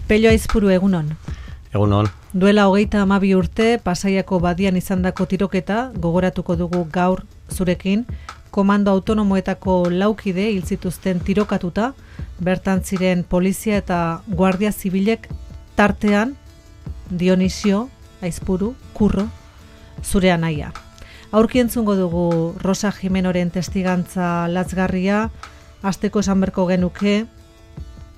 Pello Aizpuru, egunon. Egunon. Duela 32 urte, Pasaiako badian izandako tiroketa, gogoratuko dugu gaur zurekin, komando autonomoetako laukide hil zituzten tirokatuta, bertan ziren polizia eta guardia zibilek tartean Dionisio Aizpuru, Kurro, zure anaia. Aurki entzungo dugu Rosa Jimenoren testigantza latzgarria, hasteko esan berko genuke,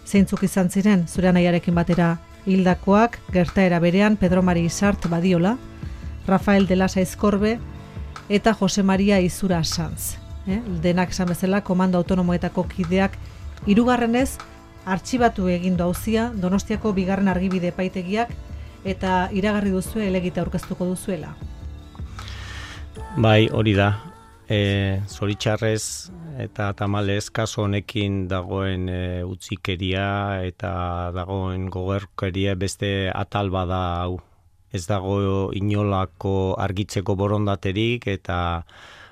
zeintzuk izan ziren zure anaiarekin batera hildakoak, gertaera berean Pedro Mari Isart Badiola, Rafael de Lasa Aizkorbe eta Jose Maria Izura Sanz. Denak esan bezala, komando autonomoetako kideak hirugarrenez artxibatu egindu auzia Donostiako 2. argibide epaitegiak eta iragarri duzu helegite aurkeztuko duzuela. Bai, hori da. Zoritxarrez eta tamalez kaso honekin dagoen utzikeria eta dagoen gogerkeria beste atal bada hau. Ez dago inolako argitzeko borondaterik eta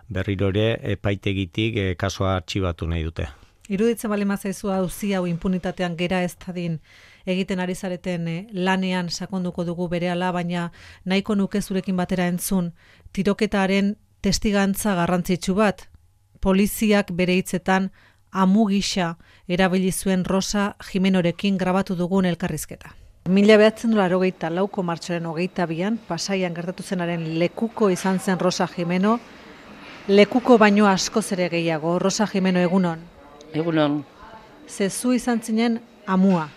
berriro ere epaitegitik kasoa artxibatu nahi dute. Iruditzen bali mazaizu auzi hau impunitatean gera ez dadin egiten ari zareten lanean sakonduko dugu berehala, baina nahiko nuke zurekin batera entzun tiroketaren testigantza garrantzitsu bat. Poliziak bere hitzetan amu gisa erabili zuen Rosa Jimenorekin grabatu dugun elkarrizketa. 1984ko martxoaren 22an Pasaian gertatu zenaren lekuko izan zen Rosa Jimeno, lekuko baino askoz ere gehiago. Rosa Jimeno, egunon. Egunon. Zezu izan zinen amua.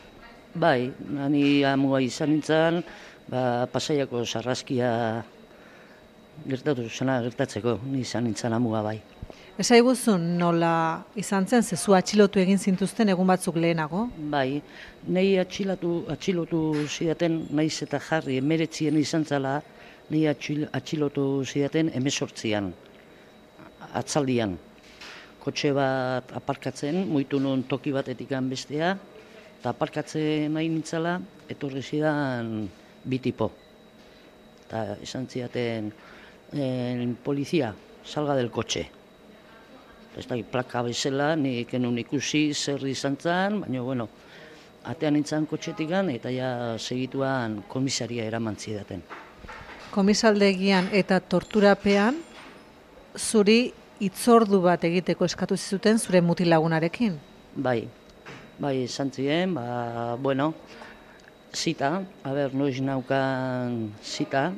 Bai, ni amua izan nintzen, Pasaiako sarraskia gertatzeko, ni izan nintzen amua bai. Esaiguzun nola izan zen, zezu atxilotu egin zintuzten egun batzuk lehenago? Bai, nahi atxilotu zidaten, naiz eta jarri, 19 izan zela, nahi atxilotu zidaten 18an, atzaldian. Kotxe bat aparkatzen, muitu nun toki batetik bestea, eta aparkatzen nahi nintzala, etorri zidan bi tipo. Eta esan zidaten, polizia, salga del kotxe. Ez da, plaka bezala, nik enun ikusi zer izan zen, baina, bueno, atean nintzen kotxetikan eta ja segituan komisaria eraman zidaten. Komisaldegian eta torturapean, zuri hitzordu bat egiteko eskatu zizuten zure mutilagunarekin? Bai, esan ziren, bueno, zita, noiz naukan zita,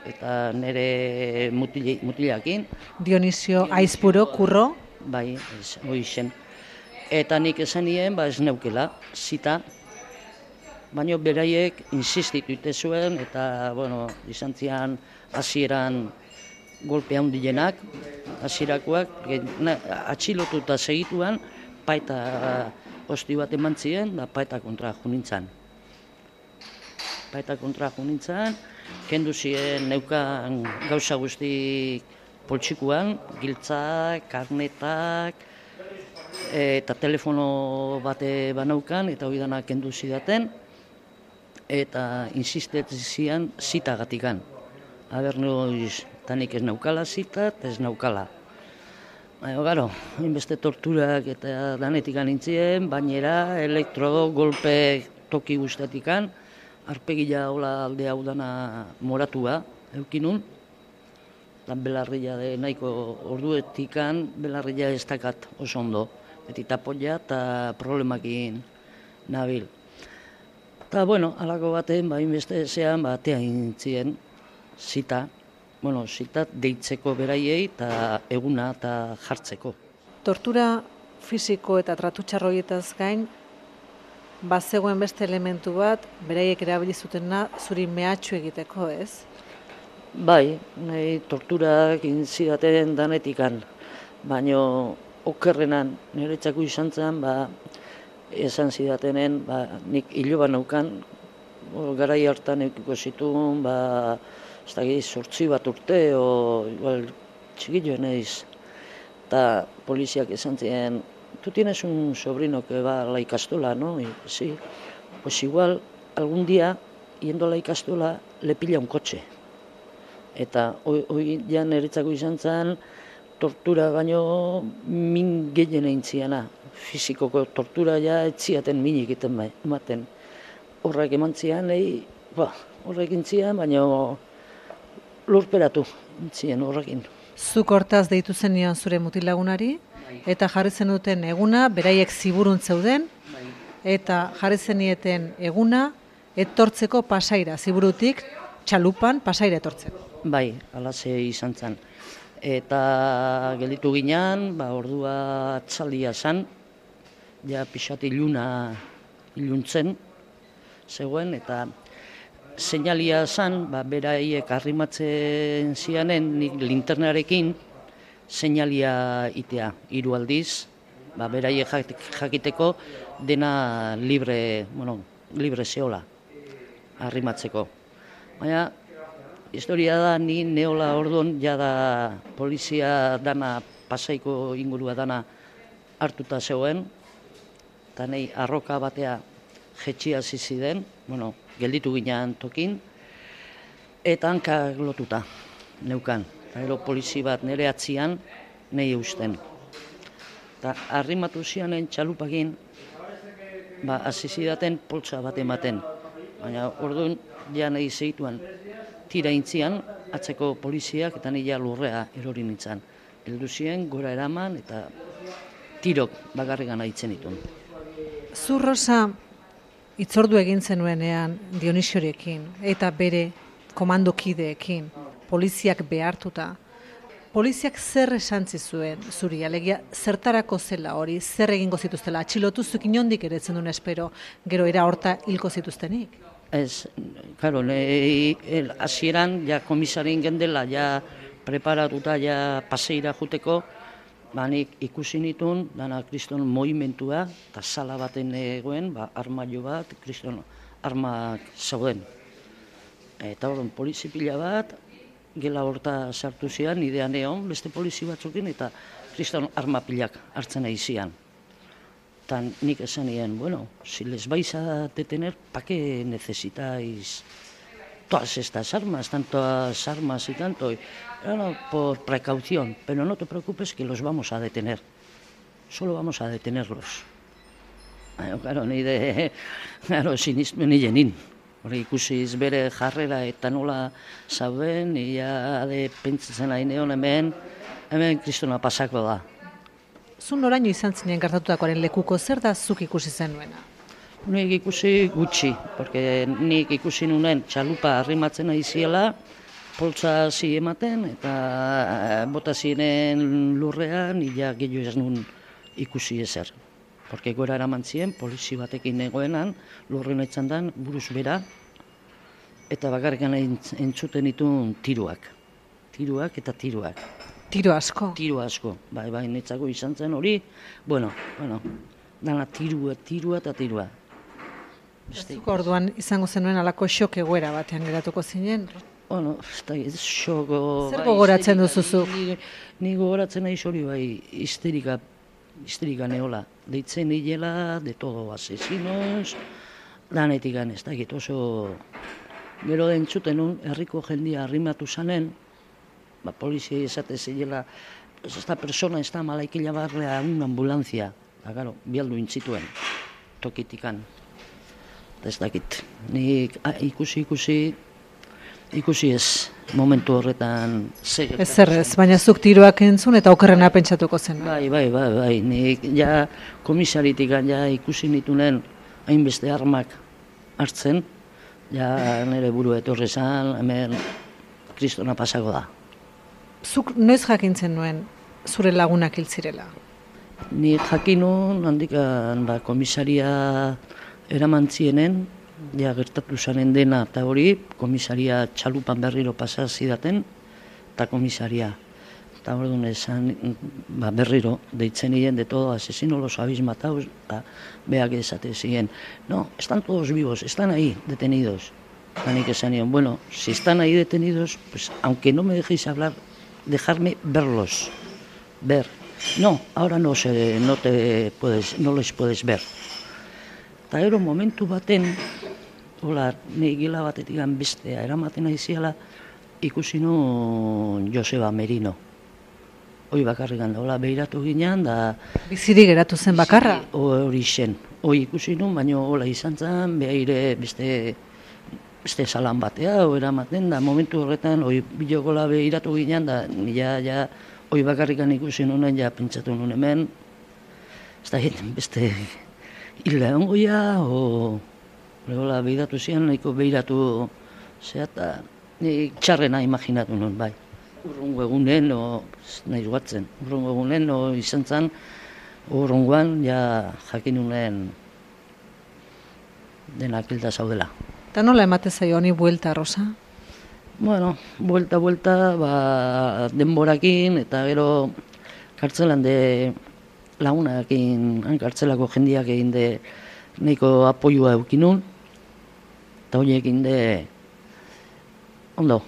eta nire mutilakin. Dionisio Aizpuru, Kurro? Bai, hori zen. Eta nik esan nien, ez neukela, zita, baina beraiek insistitu zuen, eta, bueno, izan zian hasieran golpe handienak, hasierakoak, atxilotu eta segituan, paeta hosti bat eman ziren, da paeta kontra junintzan. Kendu ziren neukan gauza guztik poltsikuan, giltzak, karnetak, eta telefono bate banaukan, eta hori dana kendu zidaten, eta insistetzen zian zitagatikan. Noiz, eta nik ez naukala zita, ez naukala. Gero, inbeste torturak eta danetik nintzien, bainera, golpe toki guztatikan, arpegila hola alde hau dana moratua, eukinun, eta belarria nahiko orduetikan, belarria ez dakat oso ondo, beti tapoia eta problemakin nabil. Eta, bueno, alako baten, inbeste zean, batean nintzien, zita deitzeko beraiei eta eguna eta jartzeko. Tortura fisiko eta tratu txarroietaz gain, bazegoen beste elementu bat, beraiek erabili zutena zuri mehatxu egiteko, ez? Bai, nahi torturak zidaten danetikan, baina okerrenan niretzako izan zen, esan zidatenen, nik hiloba naukan, garai hartan eukiko zituen, ez da gehi 8 bat urte, igual txikilloen eiz. Eta poliziak esan ziren, tu tienes un sobrino que va a la ikastola, ¿no? Y sí, pues igual algún día, yendo a la ikastola, le pilla un coche. Eta hori ja niretzako izan zen, tortura baino min gehien egin ziana. Fizikoko tortura ja etziaten minik ematen. horrek eman zian, horrek intzian, baina lurperatu intzien horrekin. Zuk hortaz deitu zenion zure mutilagunari, eta jarri zenuten eguna, beraiek ziburun zeuden, eta jarri zenieten eguna, etortzeko Pasaira, ziburutik, txalupan Pasaira etortzeko. Bai, alaze izan zen. Eta gelditu ginean, ordua txalia zen, ja pixat iluntzen zegoen, eta seinalia zen, beraiek arrimatzen zianen, nik linternarekin seinalia itea, 3 aldiz, beraiek jakiteko dena libre zeola arrimatzeko. Baina, historia da, ni neola orduan, jada polizia dana, Pasaiko ingurua dana hartuta zegoen, eta nahi arroka batea jetxia ziziden, gelditu ginean tokin, eta hankak lotuta neukan. Eta polizi bat nire atzian, nahi eusten. Eta arrimatu zianen txalupakin, hasi zidaten poltsa bat ematen. Baina orduan, ja nahi zeituan, tira intzian, atzeko poliziak eta nila lurrea erori nintzen. Heldu ziren, gora eraman eta tirok bakarrikan haitzen ditun. Zu, Rosa, hitzordu egin zenuenean Dionisiorekin eta bere komandokideekin, poliziak behartuta. Poliziak zer esan zizuen zuri, alegia zertarako zela hori, zer egingo zituztela, atxilotu zuk inondik ere zen duen espero, gero era horta hilko zituztenik? Ez, karo, hasieran, ja komisarin gendela, ja preparatuta, ja Paseira juteko, nik ikusi nituen, dana kriston movimentua, eta sala baten egoen, armaio bat, kriston armak zauden. Eta horren polizi pila bat, gela horta sartu zian, idean egon, beste polizi batzukin, eta kriston arma pilak hartzen nahi zian. Eta nik esan nien, si les vais a detener, ¿pa qué necesitáis todas estas armas, tantas armas y tanto? Por precaución, pero no te preocupes que los vamos a detener. Solo vamos a detenerlos. Claro, sinismen hilenin. Hori ikusiz bere jarrera eta nola zauden, ia pentsatzen ari neon hemen kristona pasako da. Zu noraino izan zinen gertatutakoaren lekuko, zer da zuk ikusi zenuena? Nik ikusi gutxi, porque nik ikusi nunen txalupa arrimatzen ari ziela, poltsa zi ematen, eta bota ziren lurrean, ila gehiago ez nun ikusi ezer. Porque gora eraman ziren, polizi batekin egoenan, lurren etzan dan, buruz bera, eta bakarrikan entzuten ditun tiruak. Tiruak eta tiruak. Tiro asko? Tiro asko, bai, netzako izan zen hori, dana tirua eta tirua. Zuko orduan izango zenuen alako xok egoera batean geratuko zinen? Xoko... Zer gogoratzen duzuzu? Ni gogoratzen nahi hori histerika neola. Deitzen hilela, de todo asesinos, danetik ez dakit oso... Gero den txuten herriko jendia arrimatu zanen, polizia esate zilela, esta persona está mala, que llevarle a una ambulancia. Claro, bialdu intzituen, tokitikan. Ez dakit, nik ikusi ez, momentu horretan zer. Ez, baina zuk tiroak entzun eta okerrena pentsatuko zen. Bai, nik ja komisaritik ikusi nitunen hainbeste armak hartzen, ja nire buru etorri zan, hemen kristona pasako da. Zuk noiz jakintzen nuen zure lagunak hil zirela? Ni jakinun handikan komisaria eraman zienen, ja gertatu zanen dena eta hori, komisaria txalupan berriro pasa zidaten, eta komisaria. Eta orduan esan berriro, deitzen nien de todo asesino los habéis matado, eta beak esate ziren. No, están todos vivos, están ahí, detenidos. Eta nik esan nien, si están ahí detenidos, pues aunque no me dejéis hablar, dejarme verlos, ver. No, ahora no les puedes ver. Eta gero momentu baten, nahi gila batetik bestea eramaten aiziala, ikusi nun Joseba Merino. Hoi bakarrik handa, behiratu ginean, da... Bizirik geratu zen bakarra? Hori zen, hoi ikusi nun, baina hola izan zen, behaire beste salan batea, eramaten, da momentu horretan, hoi bideokola behiratu ginen, da nila hoi bakarrikan ikusi nunen, pentsatu nun hemen, ez da beste hilda ongoia, hola behiratu zian, nahiko behiratu zea, eta nik txarrena imaginatu nun, bai. Urrungo egunen, nahi batzen, urrungo egunen, izan zen, urrungoan, jakin nunen denak hilda zaudela. Eta nola emate zaio honi buelta, Rosa? Bueno, buelta, denborakin, eta gero kartzelan de lagunakin, kartzelako jendiak egin de nahiko apoioa eukinun, eta horiekin de ondo,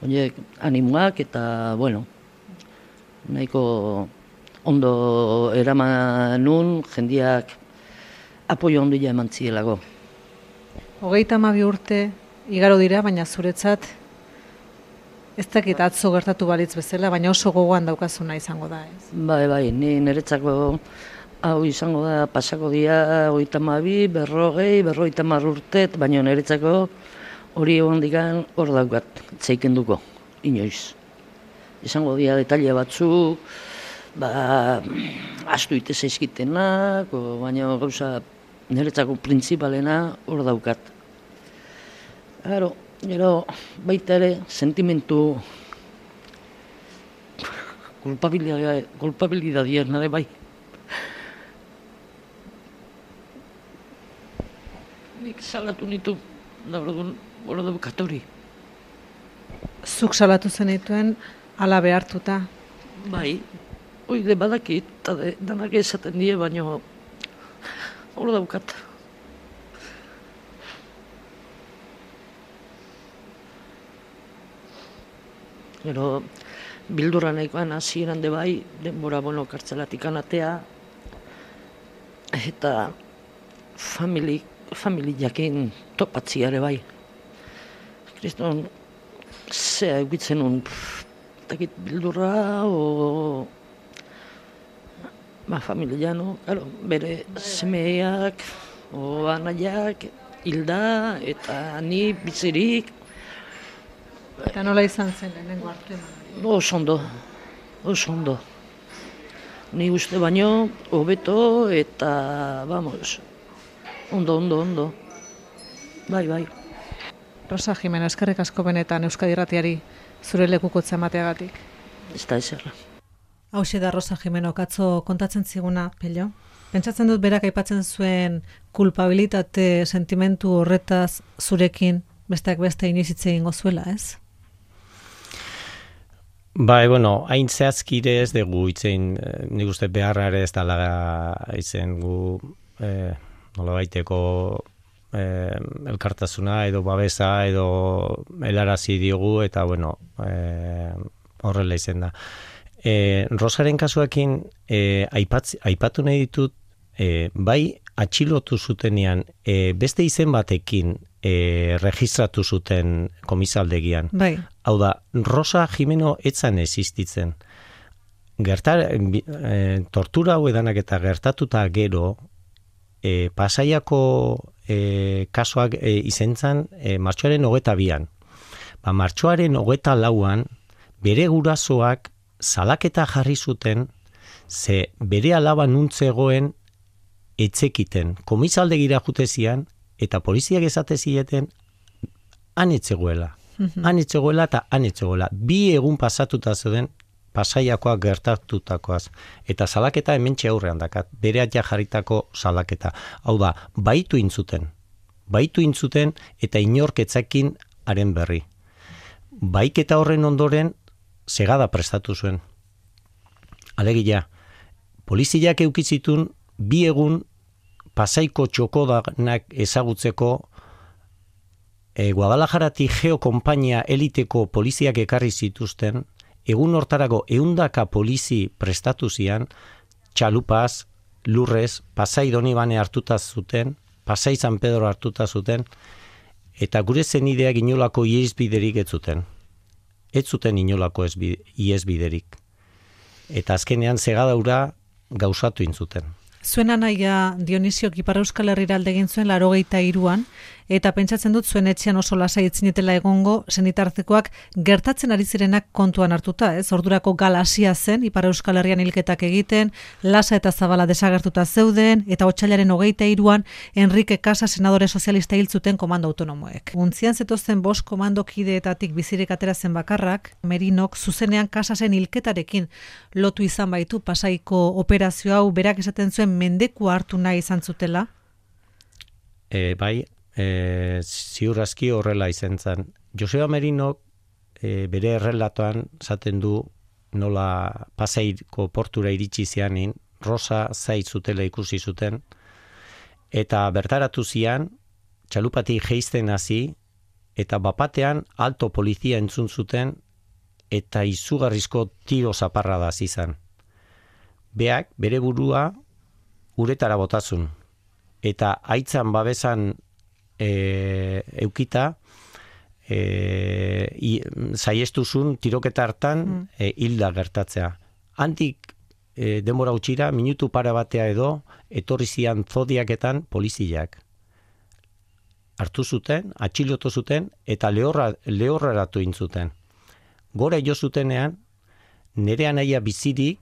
horiek animoak eta, bueno, nahiko ondo eraman nun, jendiak apoio ondia eman zielako. 32 urte igaro dira, baina zuretzat ez dakit atzo gertatu balitz bezala, baina oso gogoan daukazuna izango da, ez? Bai, ni niretzako hau izango da pasako dia 32, 40, 50 urte, baina niretzako hori egon digan hor daukat, zeikenduko, inoiz. Izango dia detaile batzuk, astu ite zaizkitenak, baina gauza niretzako printzipalena hor daukat. Gero baita ere sentimentu kulpabilidadien nare bai. Nik salatu nitu, hor daukat hori. Zuk salatu zenituen ala behartuta? Bai, oide badakit, eta danak esaten die, baina hor daukat. Gero, bildurra nahikoan hasieran de bai, denbora kartzelatik anatea, eta familiakin topatziare bai. Kriston, zea egitzen un, takit bildurra, familiano, bere semeak, anaiak, hilda, eta ni bizirik. Eta nola izan zen lehenengo hartemanak? Oso ondo. Ni uste baino, hobeto eta, ondo. Bai. Rosa Jimeno, eskerrik asko benetan Euskadi Irratiari zure lekukotza emateagatik. Ez da eserra. Hauxe da Rosa Jimeno, katzo kontatzen ziguna, Pello? Pentsatzen dut berak aipatzen zuen kulpabilitate sentimentu horretaz zurekin besteak beste inoiz hitz egingo zuela, ez? Bai, hain zehazkire ez dugu itzein, nik uste beharra ere ez dala izen gu nola baiteko elkartasuna edo babesa edo helarazi diogu eta horrela izen da. Rosaren kasuakin aipatu nahi ditut, bai atxilotu zutenean beste izen batekin registratu zuten komisaldegian. Bai. Hau da, Rosa Jimeno etzan existitzen. Tortura hau edanak eta gertatuta gero, Pasaiako kasuak izentzan martxoaren 22an. Martxoaren 24an, bere gurasoak salaketa jarri zuten, ze bere alaba nuntzegoen etzekiten. Komisaldegira jutezian, eta poliziak esate zieten, han etzegoela. Han etzegoela. 2 egun pasatuta zeuden Pasaiakoak gertatutakoaz. Eta salaketa hementxe aurrean dakat. Bere atia jarritako salaketa. Hau da, baitu intzuten eta inorketzakin haren berri. Baiketa horren ondoren segada prestatu zuen. Alegia, poliziak eukitzitun 2 egun Pasaiko txokodanak ezagutzeko Guadalajaratik geokompainia eliteko poliziak ekarri zituzten, egun hortarako 100 polizi prestatu zian, txalupaz, lurrez, Pasai Donibane hartuta zuten, Pasai San Pedro hartuta zuten, eta gure zenideak inolako iesbiderik ez zuten. Ez zuten inolako iesbiderik. Eta azkenean segadaura gauzatu intzuten. Zuen anaia Dionisiok Ipar Euskal Herrira alde egin zuen 83an, eta pentsatzen dut zuen etxean oso lasai etzinetela egongo senitartekoak gertatzen ari zirenak kontuan hartuta, ez? Ordurako galasia zen Ipar Euskal Herrian hilketak egiten, Lasa eta Zabala desagertuta zeuden, eta otsailaren 23an Enrique Casa senadore sozialista hil zuten komando autonomoek. Untzian zetozten 5 komando kideetatik bizirik atera zen bakarrak, Merinok zuzenean Casasen hilketarekin lotu izan baitu Pasaiko operazio hau, berak esaten zuen mendeku hartu nahi izan zutela? Ziur aski horrela izan zen. Joseba Merinok bere errelatoan zaten du nola Pasaiko portura iritsi zianin, Rosa zait zutela ikusi zuten, eta bertaratu zian, txalupati geizten hasi, eta bapatean alto polizia entzun zuten, eta izugarrizko tiro zaparra da izan. Beak, bere burua, uretara botazun, eta aitzan babesan eukita, zaiestuzun tiroketa hartan hilda gertatzea. Handik denbora utxira, minutu para batea edo, etorri zian zodiaketan poliziak. Hartu zuten, atxilotu zuten, eta lehorraratu intzuten. Gora jo zutenean, nere anaia bizirik,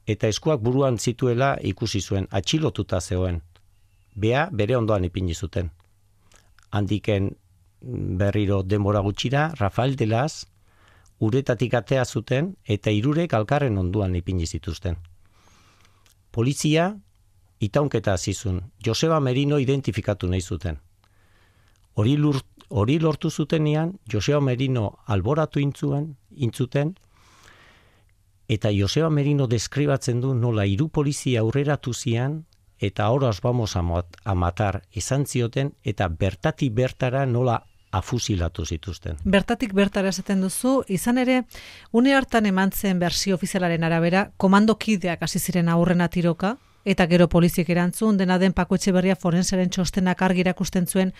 eta eskuak buruan zituela ikusi zuen, atxilotuta zegoen. Bea bere ondoan ipini zuten. Handiken berriro denbora gutxira, Rafael de Las uretatik atea zuten eta 3 alkarren onduan ipini zituzten. Polizia itaunketa hasi zuen. Joseba Merino identifikatu nahi zuten. Hori lortu zutenean, Joseba Merino alboratu intzuten, eta Joseba Merino deskribatzen du nola 3 polizia aurreratu zian, eta ahora os vamos a matar esan zioten, eta bertatik bertara nola afusilatu zituzten. Bertatik bertara esaten duzu, izan ere, une hartan eman zen bersio ofizialaren arabera, komandokideak hasi ziren aurrena tiroka, eta gero poliziek erantzun, dena den Pako Etxeberria forensaren txostenak argi erakusten zuen,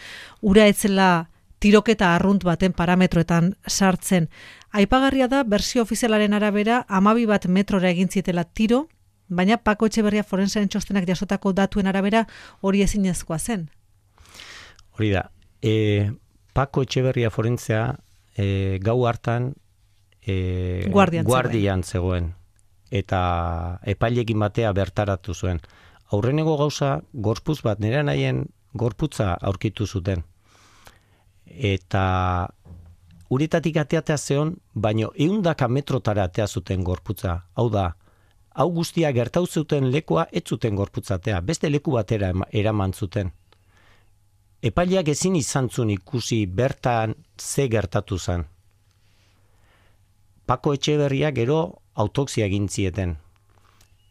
ura etzela tiroketa arrunt baten parametroetan sartzen. Aipagarria da, bersio ofizialaren arabera, 12 metrora egin zitela tiro, baina Pako Etxeberria forensaren txostenak jasotako datuen arabera hori ezinezkoa zen. Hori da, Pako Etxeberria forensea gau hartan guardian zegoen, eta epailekin batea bertaratu zuen. Aurreneko gauza, gorputz bat, nire nahien gorputza aurkitu zuten. Eta uretatik ateatea zeon, baino 100 metrotara atea zuten gorputza. Hau da, hau guztia gertau zuten lekua ez zuten gorputzatea, beste leku batera eraman zuten. Epaileak ezin izan zuen ikusi bertan ze gertatu zen. Pako Etxeberria gero autopsia egin zieten.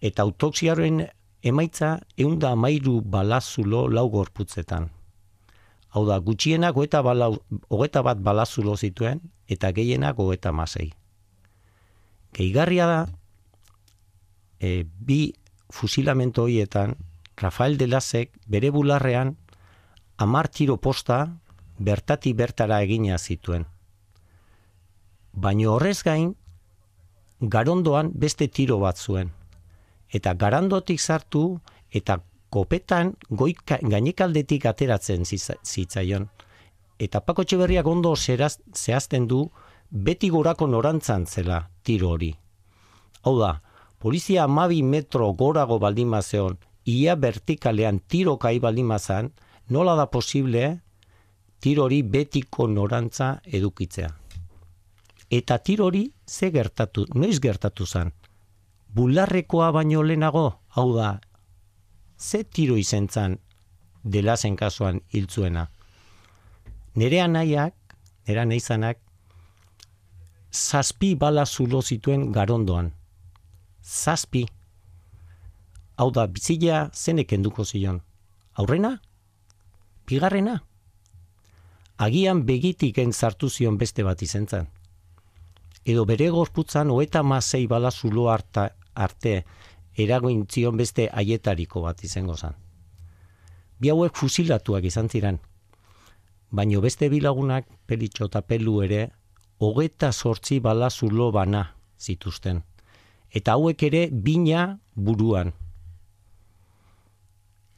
Eta autopsiaren emaitza 113 balazulo 4 gorputzetan. Hau da, gutxienak 21 balazulo zituen, eta gehienak 36. Gehigarria da, 2 fusilamento horietan, Rafael de Lasek bere bularrean 10 tiro posta bertatik bertara egina zituen. Baina horrez gain, Garondoan beste tiro bat zuen. Eta Garondotik sartu eta kopetan gainekaldetik ateratzen zitzaion. Eta Pako Etxeberriak ondo zehazten du beti gorako norantzan zela tiro hori. Hau da, polizia 12 metro gorago baldin bazeon, ia vertikalean tiro kai baldin bazan, nola da posible tiro hori betiko norantza edukitzea. Eta tiro hori noiz gertatu zen? Bularrekoa baino lehenago, hau da, ze tiro izen zen de Lasen kasuan hiltzuena. Nere anaizanak 7 bala zulo zituen Garondoan. 7. Hau da, bizila zenek enduko zion. Aurrena? Bigarrena? Agian begitik sartu zion beste bat izen zen. Edo bere gorputzan 36 bala zulo arte eragoin zion beste haietariko bat izango zen. Bi hauek fusilatuak izan ziren, baino beste bilagunak Pelitxo eta Pelu ere 28 bala zulo bana zituzten. Eta hauek ere bina buruan.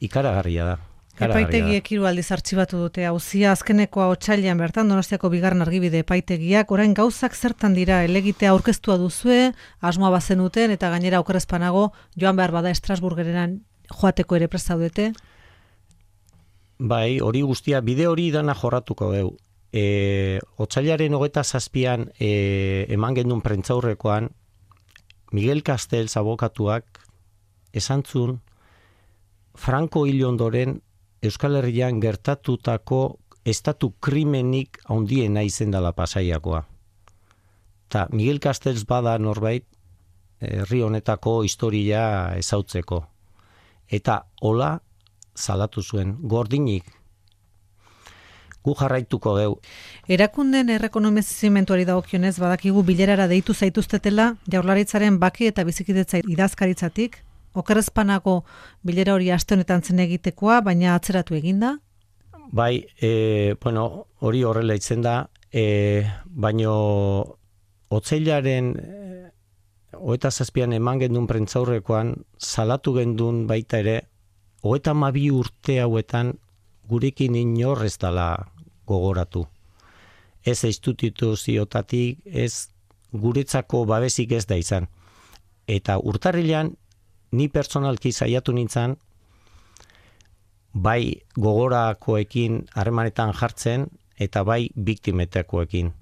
ikaragarria da. Epaitegiek 3 aldiz artxibatu dute auzia, azkenekoa otsailean bertan Donostiako bigarren argibide epaitegiak, orain gauzak zertan dira, helegitea aurkeztua duzue, asmoa bazenuten eta gainera okerrezpanago joan behar bada Estrasburgerenan joateko ere prest zaudete? Bai, hori guztia, bide hori dana jorratuko dugu. Otsailaren 27an eman gendun prentzaurrekoan Miguel Castells abokatuak esantzun Franco hil ondoren Euskal Herrian gertatutako estatu krimenik handiena izen dela Pasaiakoa. Ta Miguel Castells bada norbait herri honetako historia ezautzeko. Eta hola salatu zuen, gordinik. Gu jarraituko deu. Erakunden errekonozimentuari dagokionez badakigu bilerara deitu zaituztetela Jaurlaritzaren bake eta bizikidetza idazkaritzatik. Okerrezpanako bilera hori aste honetan zen egitekoa, baina atzeratu eginda? Bai, hori horrela itzen da, baino otsailaren 27an eman gendun prentzaurrekoan salatu gendun baita ere 32 urte hauetan gurekin inor ez dela gogoratu. Ez instituziotatik, ez guretzako babesik ez da izan. Eta urtarrilean ni personalki saiatu nintzen, bai gogorakoekin harremanetan jartzen, eta bai biktimetakoekin.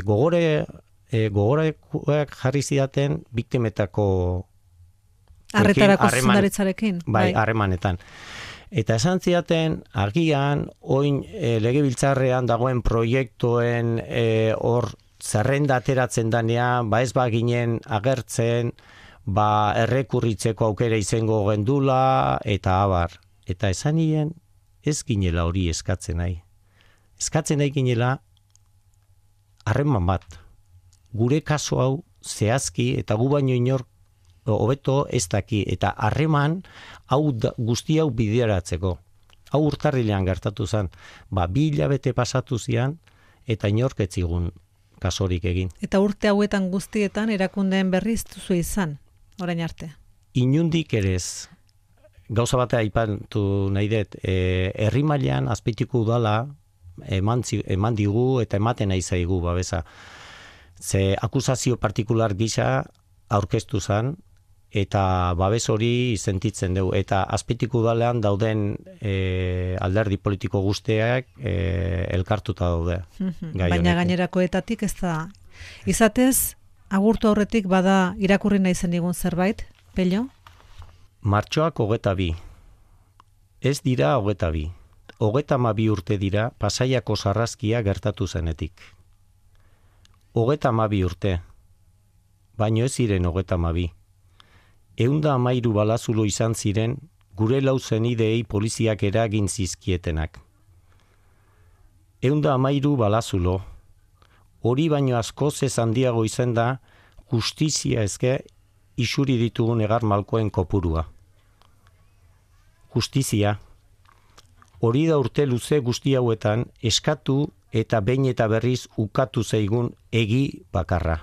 Gogorakoek jarri zidaten biktimetako Arretarako zuzendaritzarekin? Bai, harremanetan. Eta esan zidaten, agian, oin legebiltzarrean dagoen proiektuen hor zerrenda ateratzen danean, ez baginen agertzen, errekurritzeko aukera izango gendula, eta abar. Eta esan nien, ez ginela hori eskatzen nahi. Eskatzen nahi ginela, harreman bat. Gure kaso hau zehazki, eta gu baino inor hobeto ez daki, eta harreman guzti hau bideratzeko. Hau urtarrilean gertatu zen, 2 hilabete pasatu zian, eta inorketzigun kasorik egin. Eta urte hauetan guztietan erakundeen berriz duzu izan, orain arte? Inundik ere ez. Gauza batea aipatu nahi dut, herri mailan Azpeitiko udala eman digu eta ematen nahi zaigu babesa. Ze akusazio partikular gisa aurkeztu zen, eta babes hori sentitzen dugu. Eta Azpeitiko udalean dauden alderdi politiko guztiak elkartuta daude. Baina gainerakoetatik ez da. Izatez, agurtu aurretik bada irakurri nahi zen digun zerbait, Pello? Martxoak 22. Ez dira 22. 32 urte dira Pasaiako sarraskia gertatu zenetik. 32 urte. Baino ez ziren 32. 113 balazulo izan ziren gure lau zenideei poliziak eragin zizkietenak. 113 balazulo. Hori baino askoz ez handiago izan da justizia ezke isuri ditugun egar malkoen kopurua. Justizia. Hori da urte luze guzti hauetan eskatu eta behin eta berriz ukatu zaigun egi bakarra.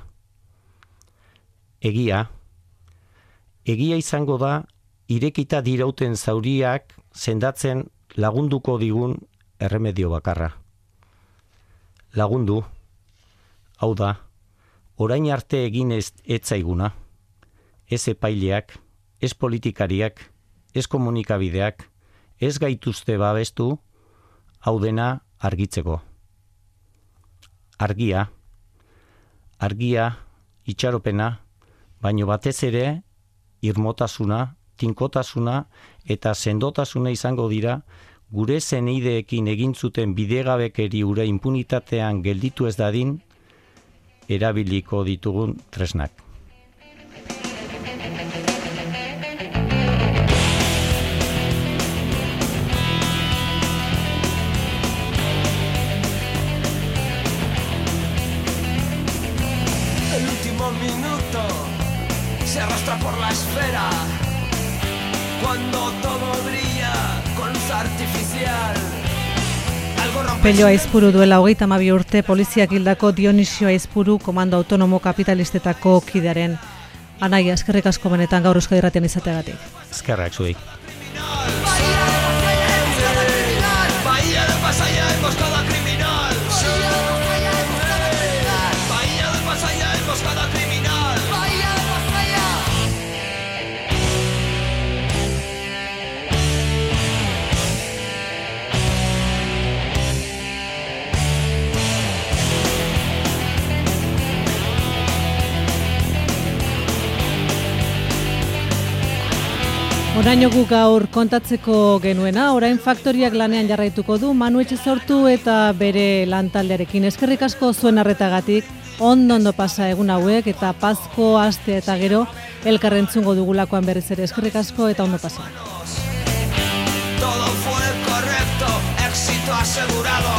Egia. Egia izango da irekita dirauten zauriak sendatzen lagunduko digun erremedio bakarra. Lagundu. Hau da, orain arte egin ez zaiguna. Ez epaileak, ez politikariak, ez komunikabideak, ez gaituzte babestu, hau dena argitzeko. Argia, itxaropena, baino batez ere, irmotasuna, tinkotasuna eta sendotasuna izango dira, gure zenideekin egin zuten bidegabekeri ura impunitatean gelditu ez dadin, erabiliko ditugun tresnak. El último minuto se arrastra por la esfera cuando todo brilla con luz artificial. Pello Aizpuru duela 32 urte poliziak hildako Dionisio Aizpuru komando autonomo kapitalistetako kidearen. Anaia, eskerrik asko benetan gaur Euskadi Irratian izateagatik. Eskerrak zuei. Oraino gu gaur kontatzeko genuena, orain faktoriak lanean jarraituko du Manu Etxezortu eta bere lantaldearekin. Eskerrik asko zuen arretagatik, ondo pasa egun hauek eta Pazko aste eta gero elkarrentzungo dugulakoan berriz ere. Eskerrik asko eta ondo pasa. Todo fue correcto, éxito asegurado.